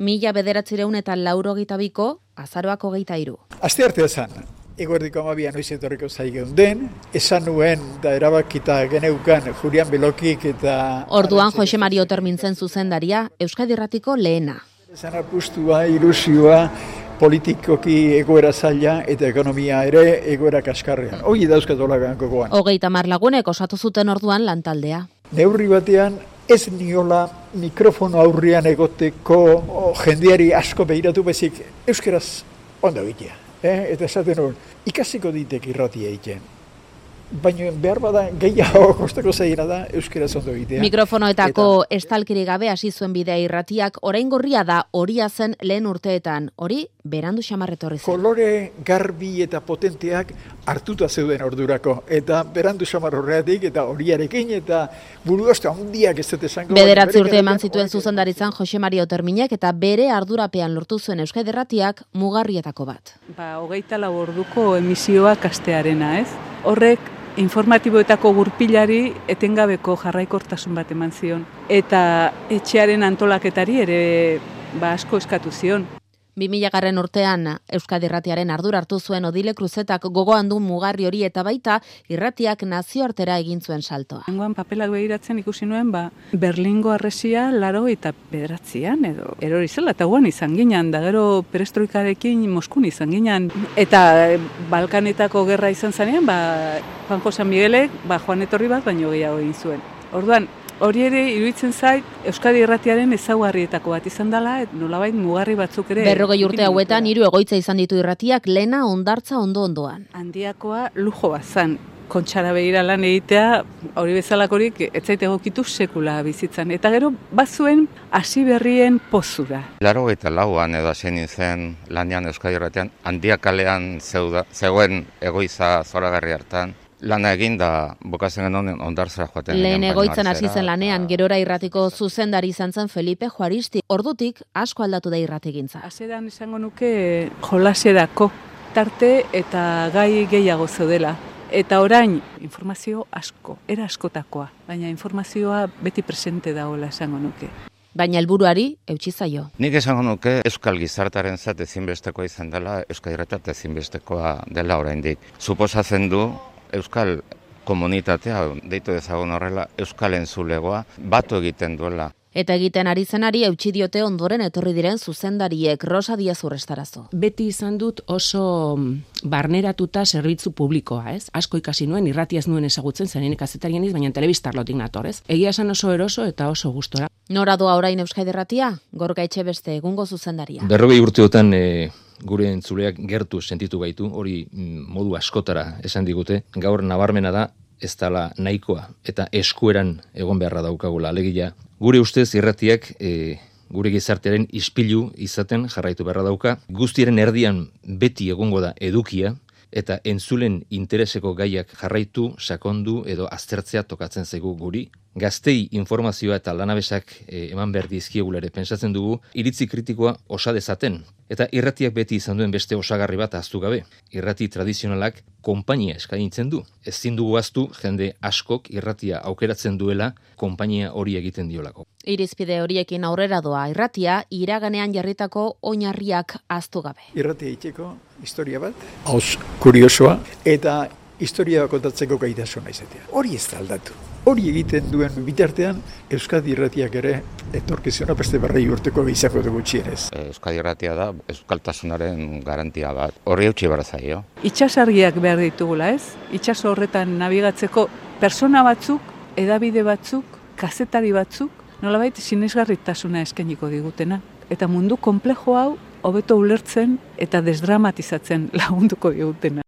1982ko azaroak 23. Asteartea zan, eguerdiko 12 noiz etorriko zai geunden, esan nuen da erabakita geneukan Julian Belokik eta... Orduan Jose Mari Oter mintzen zuzendaria, Euskadi Irratiko lehena. Esan apustua, ilusioa, politikoki egoera zaila eta ekonomia ere egoera kaskarrean. Hoi dauzkatolagan gogoan. 30 lagunek osatu zuten orduan lantaldea. Neurri batean ez niola mikrofono aurrian egoteko jendeari asko behiratu bezik euskaraz ondo egitea. Eta esaten hori, ikasiko ditek irratia egiten. Baina behar bada gehiago kostako zaila da euskaraz ondo egitea. Mikrofonoetako estalkiri gabe hasi zuen bidea irratiak, orain gorria da horia zen lehen urteetan. Hori, berandu xamarretorri zen. Kolore garbi eta potenteak hartuta zeuden ordurako. Eta berandu xamar horreatik eta horiarekin eta buruoste handiak ez dut esango. 9 urte eman zituen zuzendaritzan Jose Mari Oterminek eta bere ardurapean lortu zuen Euskadi Irratiak mugarrietako bat. 24 orduko emisioak astearena, ez? Horrek informatiboetako gurpilari etengabeko jarraikortasun bat eman zion. Eta etxearen antolaketari ere asko eskatu zion. 2000 urtean Euskadi Irratiaren ardura hartu zuen Odile Kruzetak gogoan du mugarri hori eta baita irratiak nazioartera egin zuen saltoa. Nengoan papelak begiratzen ikusi nuen, Berlingo harresia 89an edo erori zela, eta guan izan ginen, da gero perestroikarekin Moskun izan ginen. Eta Balkanetako gerra izan zanean, Juan Jose Miguelek, joan etorri bat, baino gehiago egin zuen. Orduan, hori ere iruditzen zait Euskadi Irratiaren ezaugarrietako bat izan dela, nolabait mugarri batzuk ere. 40 urte hauetan 3 egoitza izan ditu irratiak, lehena Hondartza ondoan. Handiakoa lujo bat zan. Kontxara begira lan egitea, hori bezalakorik ez zait egokitu sekula bizitzan. Eta gero bazuen hasi berrien pozura. 84an edo hasi nintzen lanean Euskadi Irratian, Handiak kalean zegoen egoitza zoragarri hartan. Lana egin da bukatzen genuen Hondartzara joaten. Lehen egoitzan hasi zen lanean, Gerora Irratiko zuzendari izan zen Felipe Juaristi. Ordutik asko aldatu da irratigintza. Hasieran izango nuke jolaserako tarte eta gai gehiago zeudela. Eta orain informazio asko, era askotakoa, baina informazioa beti presente dagoela esango nuke. Baina helburuari eutsi zaio. Nik esango nuke euskal gizartaren zat ezinbestekoa izan dela, Euskadi Irratia ezinbestekoa dela oraindik. Suposatzen du euskal komunitatea, deitu dezagun horrela, euskal entzulegoa, batu egiten duela. Eta egiten ari zenari eutsi diote ondoren etorri diren zuzendariek. Rosa Diaz Urrestarazo. Beti izan dut oso barneratuta zerbitzu publikoa, ez? Asko ikasi nuen, irratia ez nuen ezagutzen, zenenik kazetarian iz, baina telebistarlotik nator, ez? Egia esan oso eroso eta oso gustora. Nora doa orain Euskadi Irratia? Gorka Etxebeste, egungo zuzendaria. 40 urteotan gure entzuleak gertu sentitu gaitu, hori modu askotara esan digute. Gaur nabarmena da, ez dela nahikoa eta eskueran egon beharra daukagula. Alegia, gure ustez irratiak gure gizartearen ispilu izaten jarraitu beharra dauka. Guztiaren erdian beti egongo da edukia eta entzulen intereseko gaiak jarraitu, sakondu edo aztertzea tokatzen zaigu guri. Gaztei informazioa eta lanabesak eman behar dizkiegula ere pentsatzen dugu, iritzi kritikoa osa dezaten. Eta irratiak beti izan duen beste osagarri bat ahaztu gabe. Irrati tradizionalak konpainia eskaintzen du. Ezin dugu ahaztu jende askok irratia aukeratzen duela konpainia hori egiten diolako. Irizpide horiekin aurrera doa irratia, iraganean jarritako oinarriak ahaztu gabe. Irratia itxeko historia bat, hauz kuriosoa, eta historia kontatzeko gaitasuna izatea. Hori ez da aldatu. Hori egiten duen bitartean, Euskadi Irratiak ere etorkizuna beste 40 urteko izango dugu gutxienez. Euskadi Irratia da euskaltasunaren garantia bat. Horri eutsi behar zaio. Itsasargiak behar ditugula, ez? Itsaso horretan nabigatzeko persona batzuk, edabide batzuk, kazetari batzuk, nolabait sinesgarritasuna eskainiko digutena. Eta mundu konplejo hau hobeto ulertzen eta desdramatizatzen lagunduko digutena.